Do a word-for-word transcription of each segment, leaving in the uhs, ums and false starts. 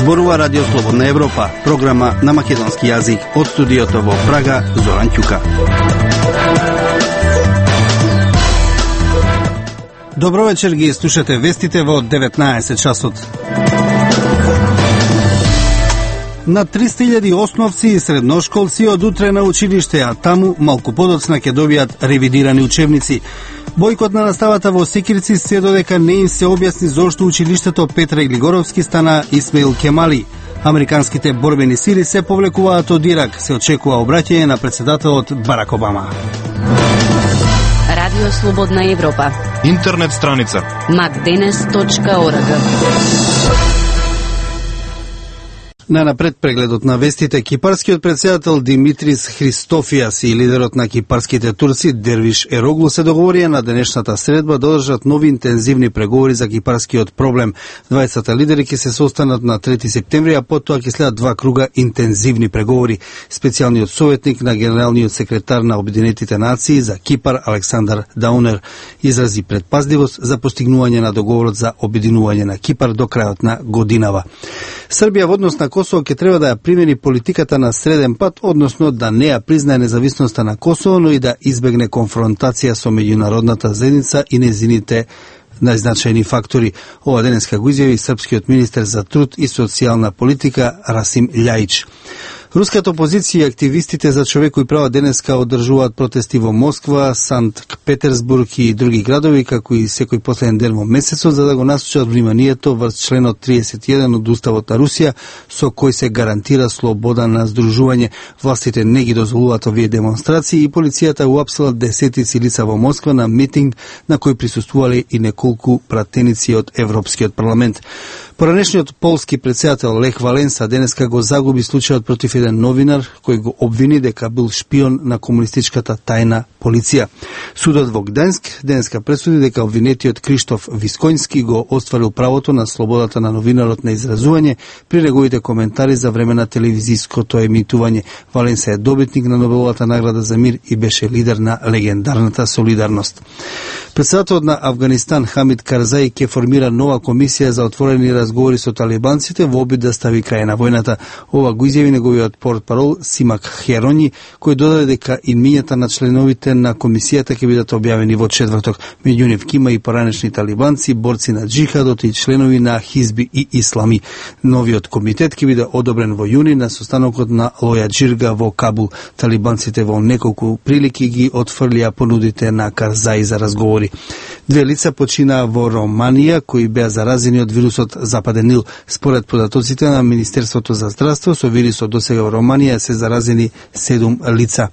Зборува Радио Слободна Европа, програма на македонски јазик. Од студиото во Прага, Зоран Ќука. Добро вечер, ги слушате вестите во деветнаесет часот. На триста илјади основци и средношколци од утре на училиште, а таму малку подоцна ќе добијат ревидирани учебници. Бојкот на наставата во Секирци се додека не им се објасни зошто училиштето Петра Глигоровски стана Исмаил Кемали. Американските борбени сили се повлекуваат од Ирак, се очекува обраќање на претседателот Барак Обама. Радио Слободна Европа. Интернет страница макденес точка орг. На напред прегледот на вестите, кипарскиот претседател Димитрис Христофијас и лидерот на кипарските турци Дервиш Ероглу се договорија на денешната средба да одржат нови интензивни преговори за кипарскиот проблем. дваесет лидери ќе се состанат на трети септември, а потоа ќе следат два круга интензивни преговори. Специјалниот советник на генералниот секретар на Обединетите нации за Кипар Александар Даунер изрази предпазливост за постигнување на договорот за обединување на Кипар до крајот на годинава. Србија во однос на Косово ќе треба да ја примени политиката на среден пат, односно да не ја признае независноста на Косово, но и да избегне конфронтација со меѓународната заедница и незините најзначајни фактори. Ова денеска го изјави српскиот министер за труд и социјална политика Расим Љајич. Руската опозиција и активистите за човекови права денеска одржуваат протести во Москва, Санкт Петерсбург и други градови, како и секој последен ден во месецот, за да го насочат вниманието врз членот триесет и еден од Уставот на Русија, со кој се гарантира слобода на здружување. Властите не ги дозволуваат овие демонстрации и полицијата уапсила десетици лица во Москва на митинг на кој присуствувале и неколку пратеници од Европскиот парламент. Поранешниот полски претседател Лех Валенса денеска го загуби случајот против еден новинар кој го обвини дека бил шпион на комунистичката тајна полиција. Судот во Гдајск денеска пресуди дека обвинетиот Криштоф Вискоњски го остварил правото на слободата на новинарот на изразување при неговите коментари за време на телевизиското емитување. Валенса е добитник на Нобеловата награда за мир и беше лидер на легендарната Солидарност. Претседателот на Авганистан Хамид Карзаи ќе формира нова комисија за отворени разговори со талибанците во обид да стави крај на војната. Ова го изјави неговиот портпарол Симак Херони, кој додаде дека имињата на членовите на комисијата ќе бидат објавени во четврток. Меѓу нив има и поранешни талибанци, борци на џихадот и членови на Хизби и Ислами. Новиот комитет ќе биде одобрен во јуни на состанокот на Лоја Џирга во Кабул. Талибанците во неколку прилики ги отфрлија понудите на Карзаи за разговори. Две лица починаа во Романија кои беа заразени од вирусот Западен Нил. Според податоците на Министерството за здравство, со вирусот досега во Романија се заразени седум лица.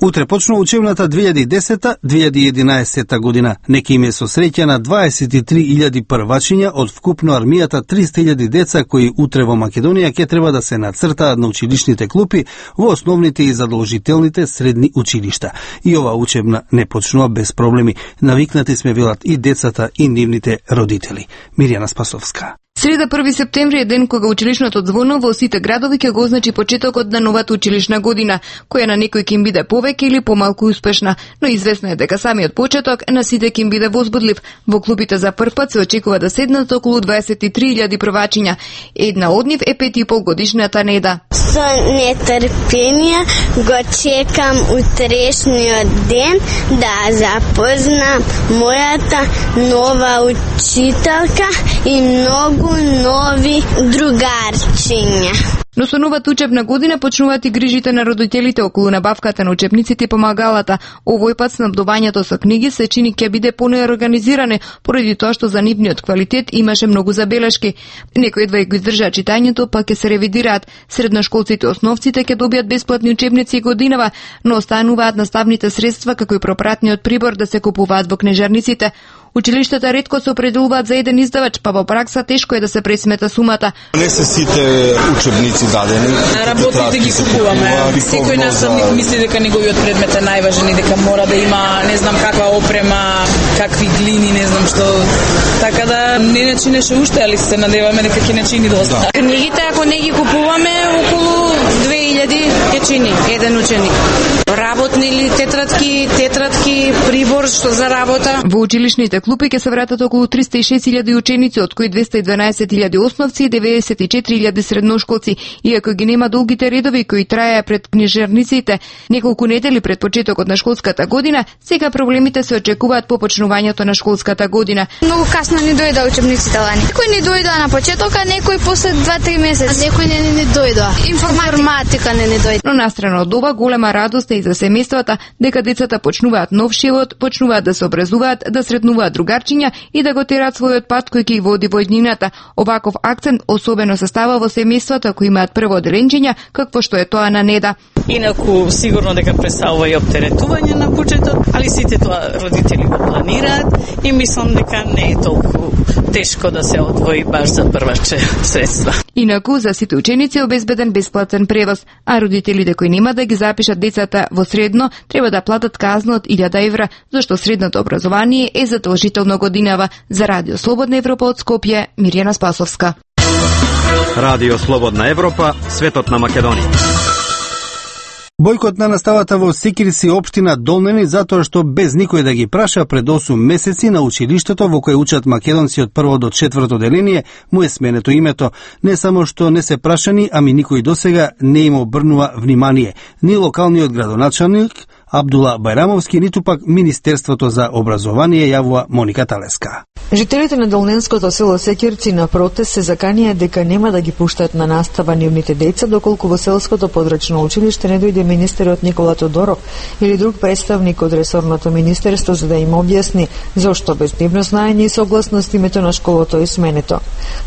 Утре почнува учебната две илјади и десета - две илјади и единаесета година. Нека им е со среќа на дваесет и три илјади првачиња од вкупно армијата триста илјади деца кои утре во Македонија ќе треба да се нацртаат на училишните клупи во основните и задолжителните средни училишта. И ова учебна не почнува без проблеми. Навикнати сме, велат и децата и нивните родители. Мирјана Спасовска. Среда први септември е ден кога училишното ѕвоно во сите градови ќе го означи почетокот на новата училишна година, која на некој ќе им биде повеќе или помалку успешна, но известно е дека самиот почеток на сите ќе им биде возбудлив. Во клубите за прв пат се очекува да седнат околу дваесет и три илјади првачиња. Една од нив е пет и пол годишната Неда. Со нетрпение го чекам утрешниот ден да запознам мојата нова учителка и многу нови другарчиња. Но со новата учебна година почнуваат и грижите на родителите околу набавката на учебниците и помагалата. Овој пат снабдувањето со книги се чини ќе биде понеорганизиране, поради тоа што за нивниот квалитет имаше многу забелешки. Некои едва и го издржаат читањето, па ќе се ревидираат. Средношколците и основците ќе добијат бесплатни учебници и годинава, но остануваат наставните средства како и пропратниот прибор да се купуваат во книжарниците. Училиштата ретко се определуваат за еден издавач, па во пракса тешко е да се пресмета сумата. Не се сите учебници дадени. Работите ги купуваме. Секој наставник мисли дека неговиот предмет е најважен и дека мора да има не знам каква опрема, какви глини, не знам што. Така да не начинеше уште, али се надеваме дека ќе начини доста. Да. Книгите ако не ги купуваме околу две илјади ќе чини еден ученик. работни или тетрадки, тетрадки, прибор што за работа. Во училишните клупи ќе се вратат околу триста и шест илјади ученици, од кои двеста и дванаесет илјади основци и деветдесет и четири илјади средношколци, иако ги нема долгите редови кои траеа пред книжарниците неколку недели пред почетокот на школската година, сега проблемите се очекуваат по почнувањето на школската година. Многу касно ни дојда учебниците лани. Некој ни дојда на почеток, а некој после два-три месеци. Некој не ни дојда. Информатика не ни дојда. Но настрана од ова, голема радост е и за семејствата дека децата почнуваат нов живот, почнуваат да се образуваат, да сретнуваат другарчиња и да го терат својот пат кој ќе ги води во иднината. Оваков акцент особено се става во семејствата кои имаат прво деленџења, какво што е тоа на Неда. Инаку сигурно дека представува и оптеретување на буџетот, али сите тоа родители го планираат и мислам дека не е толку тешко да се одвои баш за прваче средства. Инаку за сите ученици е обезбеден бесплатен превоз, а родителите кои нема да ги запишат децата во средно треба да платат казна од илјада евра, зашто средното образование е задолжително годинава. За Радио Слободна Европа од Скопје, Мирјана Спасовска. Радио Слободна Европа, светот на Македонија. Бојкот на наставата во Секирци општина Долнени затоа што без никој да ги праша пред осум месеци на училиштето во кое учат македонци од прво до четврто деление му е сменето името. Не само што не се прашани, ами никој досега не им обрнува внимание. Ни локалниот градоначалник Абдула Бајрамовски, ниту пак Министерството за образование, јавува Моника Талеска. Жителите на Долненското село Секирци на протест се заканија дека нема да ги пуштат на настава нивните деца доколку во селското подрачно училиште не дојде министерот Никола Тодоров или друг представник од ресорното министерство за да им објасни зошто без нивно знаење и согласност името на школото е сменето.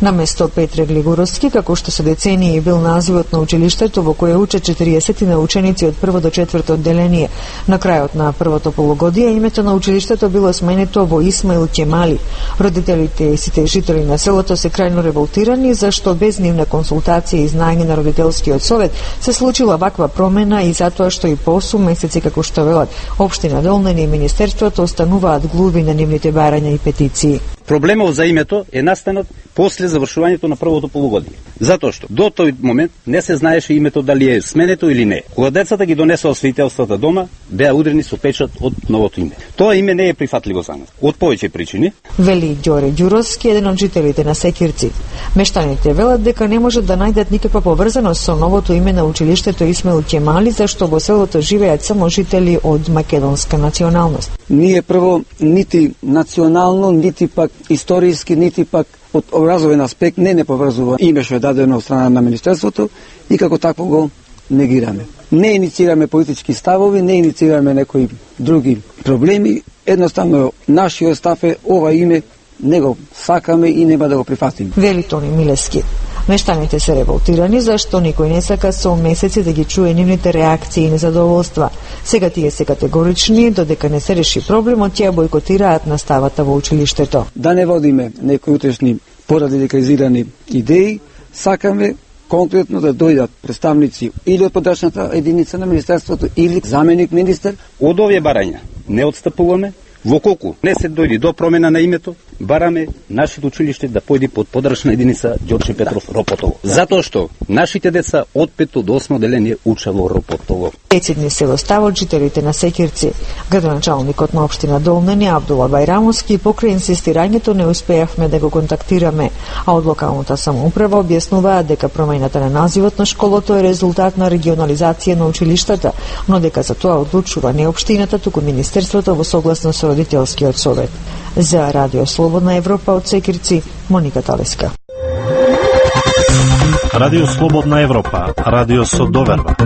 Наместо Петре Глигуровски, како што со децении бил називот на училиштето во кое учат четириесет на ученици од прво до четврто одделение, на крајот на првото полугодие името на училиштето било сменето во Исмаил Ќемали. Родителите и сите жители на селото се крајно револтирани зашто без нивна консултација и знаење на родителскиот совет се случила ваква промена и затоа што и по осум месеци, како што велат општина Долнени и министерството, остануваат глуви на нивните барања и петиции. Проблемот за името е настанат после завршувањето на првото полугодие. Затоа што до тој момент не се знаеше името дали е сменето или не. Кога децата ги донесоа свидетелствата дома, беа удрени со печат од новото име. Тоа име не е прифатливо за нас, од повеќе причини. Вели Ѓоре Ѓуровски, еден од жителите на Секирци. Мештаните велат дека не можат да најдат никаква поврзаност со новото име на училиштето Исмаил Ќемали, зашто во селото живеат само жители од македонска националност. Ние прво нити национално, нити пак историски, нити пак од образовен аспект не не поврзува име што е дадено од страна на министерството и како такво го негираме. Не инициираме политички ставови, не инициираме некои други проблеми, едноставно нашиот став е ова име не го сакаме и нема да го прифатиме. Вели Тони Милески. Мештаните се револтирани зашто никој не сака со месеци да ги чуе нивните реакции и незадоволства. Сега тие се категорични, додека не се реши проблемот, тие бойкотираат наставата во училиштето. Да не водиме некои утрешни порадикализирани идеи, сакаме конкретно да дојдат представници или од подрачната единица на министерството или заменик министер. Од овие барања не отстапуваме. Во колку не се дојде до промена на името, бараме нашето училиште да појде под подрачна единица Ѓорче Петров Ропотово. Затоа што нашите деца од пето до осмо деление учат во Ропотово. Децидни се достават жителите на Секирци. Градоначалникот на општина Долнени Абдула Бајрамовски покрај инсистирањето не успеавме да го контактираме, а од локалната самоуправа објаснуваат дека промената на називот на школото е резултат на регионализација на училиштата, но дека за тоа одлучува не општината, туку министерството во согласност со родителскиот совет. За Радио Слободна Европа од Секирци, Моника Талеска. Радио Слободна Европа, радио со доверба.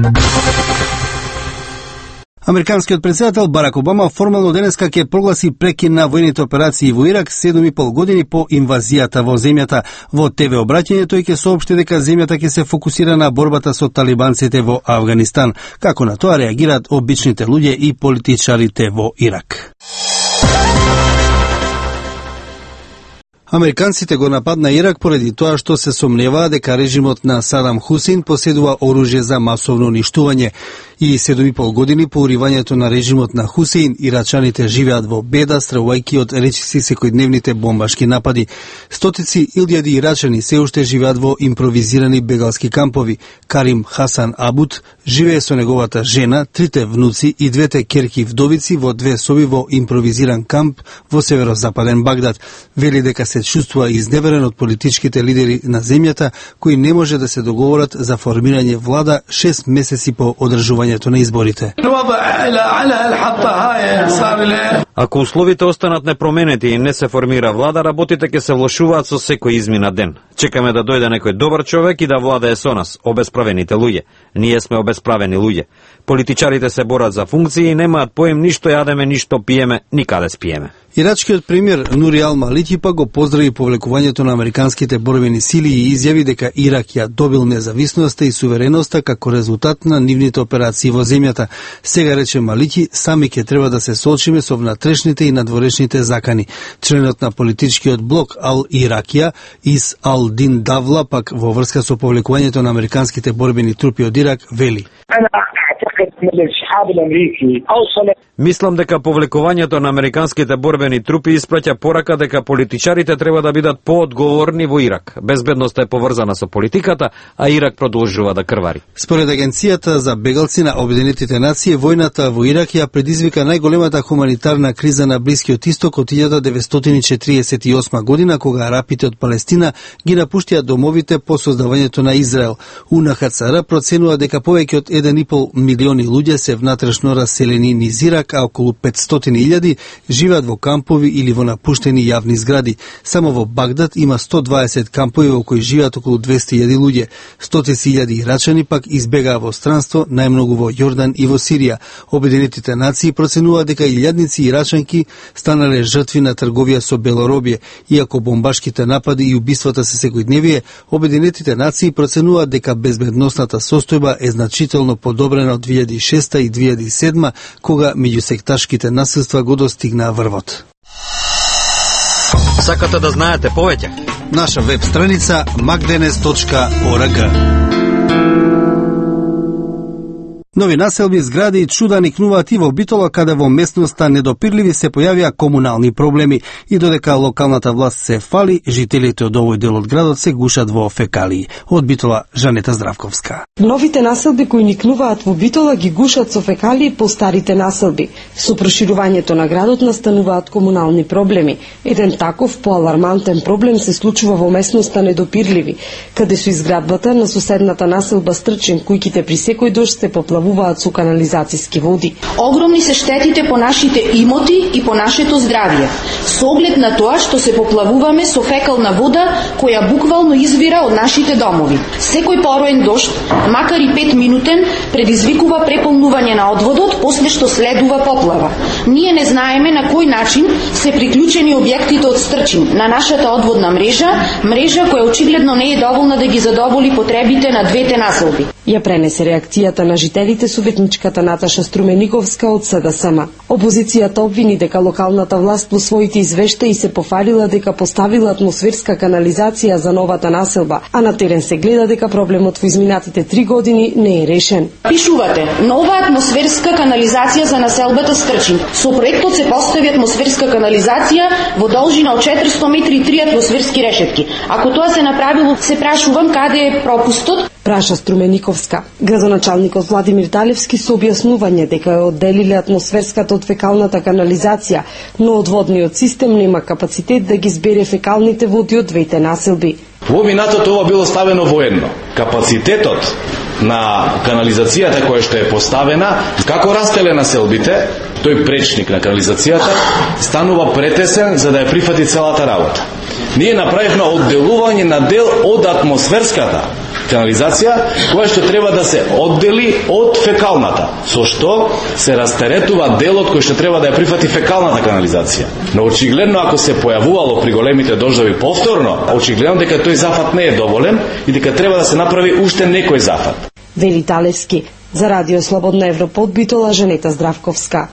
Американскиот претседател Барак Обама формално денеска ќе прогласи прекин на војните операции во Ирак седум и пол години по инвазијата во земјата. Во ТВ обраќање тој ќе соопшти дека земјата ќе се фокусира на борбата со талибанците во Авганистан. Како на тоа реагираат обичните луѓе и политичарите во Ирак. Американците го нападна Ирак поради тоа што се сомневаа дека режимот на Садам Хусин поседува оружје за масовно уништување. И седум и пол години по уривањето на режимот на Хусеин, ирачаните живеат во беда, стравувајќи од речиси секојдневните бомбашки напади. Стотици илјади ирачани се уште живеат во импровизирани бегалски кампови. Карим Хасан Абуд живее со неговата жена, трите внуци и двете керки вдовици во две соби во импровизиран камп во северозападен Багдад. Вели дека се чувствува изневерен од политичките лидери на земјата, кои не може да се договорат за формирање влада шест месеци по одржувањето на изборите. Ако условите останат непроменети и не се формира влада, работите ќе се влошуваат со секој измина ден. Чекаме да дојде некој добар човек и да владее со нас, обесправените луѓе. Ние сме обесправени луѓе. Политичарите се борат за функции и немаат поем ништо јадеме, ништо пиеме, никаде спиеме. Ирачкиот премиер Нури Ал Малики па го поздрави повлекувањето на американските борбени сили и изјави дека Ирак ја добил независноста и сувереноста како резултат на нивните операции во земјата. Сега, рече Малики, сами ќе треба да се соочиме со внатрешните и надворешните закани. Членот на политичкиот блок Ал Иракија Ис Ал Дин Давла пак во врска со повлекувањето на американските борбени трупи од Ирак вели: Мислам дека повлекувањето на американските борбени трупи испраќа порака дека политичарите треба да бидат поодговорни во Ирак. Безбедноста е поврзана со политиката, а Ирак продолжува да крвари. Според Агенцијата за бегалци на Обединетите нации, војната во Ирак ја предизвика најголемата хуманитарна криза на Блискиот Исток од илјада деветстотини четириесет и осма година, кога арапите од Палестина ги напуштија домовите по создавањето на Израел. У Ен Ха Це Ар проценува дека повеќе од еден и пол милиони луѓе се внатрешно раселени низ Ирак, а околу петстотини илјади живеат во кампови или во напуштени јавни згради. Само во Багдад има сто дваесет кампови во кои живеат околу двесте илјади луѓе. Стотици илјади ирачани пак избегаа во странство, најмногу во Јордан и во Сирија. Обединетите нации проценуваат дека илјадници ирачанки станале жртви на трговија со белоробје. Иако бомбашките напади и убиствата се секојдневие, Обединетите нации проценуваат дека безбедносната состојба е значително подобрена од две илјади и шеста и две илјади и седма, кога меѓусекташките насилства го достигнаа врвот. Сакате да знаете повеќе? Наша веб страница макденес точка орг. Нови населби, згради и чуда никнуваат и во Битола, каде во местноста недопирливи се појавија комунални проблеми и додека локалната власт се фали, жителите од овој дел од градот се гушат во фекалии. Од Битола, Жанета Здравковска. Новите населби кои никнуваат во Битола ги гушат со фекалии по старите населби. Со проширувањето на градот настануваат комунални проблеми. Еден таков поалармантен проблем се случува во местноста Недопирливи, каде со изградбата на соседната населба Стрчин, кујките при секој дожд се поплавуваат со канализацијски води. Огромни се штетите по нашите имоти и по нашето здравје. Со оглед на тоа што се поплавуваме со фекална вода која буквално извира од нашите домови. Секој пороен дожд, макар и пет минутен, предизвикува преполнување на одводот, после што следува поплава. Ние не знаеме на кој начин се приклучени објектите од Стрчин на нашата одводна мрежа, мрежа која очигледно не е доволна да ги задоволи потребите на двете населби. Ја пренесе реакцијата на жителите советничката Наташа Струмениковска од С Д С М. Опозицијата обвини дека локалната власт во своите извештаи се пофалила дека поставила атмосферска канализација за новата населба, а на терен се гледа дека проблемот во изминатите три години не е решен. Пишувате: нова атмосферска канализација за населбата Стрчин. Со проектот се постави атмосферска канализација во должина од четиристотини метри и три атмосферски решетки. Ако тоа се направило, се прашувам каде е пропустот? Праша Струмениковска. Градоначалникот Владимир Талевски со објаснување дека е одделиле атмосферската од фекалната канализација, но одводниот систем нема капацитет да ги збере фекалните води од двете населби. Во минатото ова било ставено воедно. Капацитетот на канализацијата која што е поставена, како растеле населбите, тој пречник на канализацијата станува претесен за да ја прифати целата работа. Ние направивме одделување на дел од атмосферската канализација, која што треба да се оддели од фекалната, со што се растеретува делот кој што треба да ја прифати фекалната канализација. Но очигледно ако се појавувало при големите дождови повторно, очигледно дека тој зафат не е доволен и дека треба да се направи уште некој зафат. Вели Талевски. За Радио Слободна Европа од Битола, Жанета Здравковска.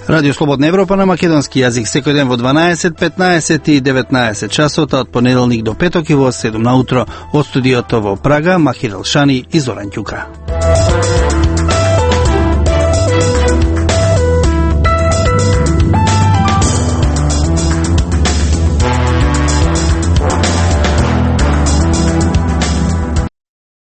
Радио Слободна Европа на македонски јазик секој ден во дванаесет, петнаесет и деветнаесет часот, од понеделник до петок и во седум наутро. Од студиото во Прага, Махир Алшани и Зоран Ќука.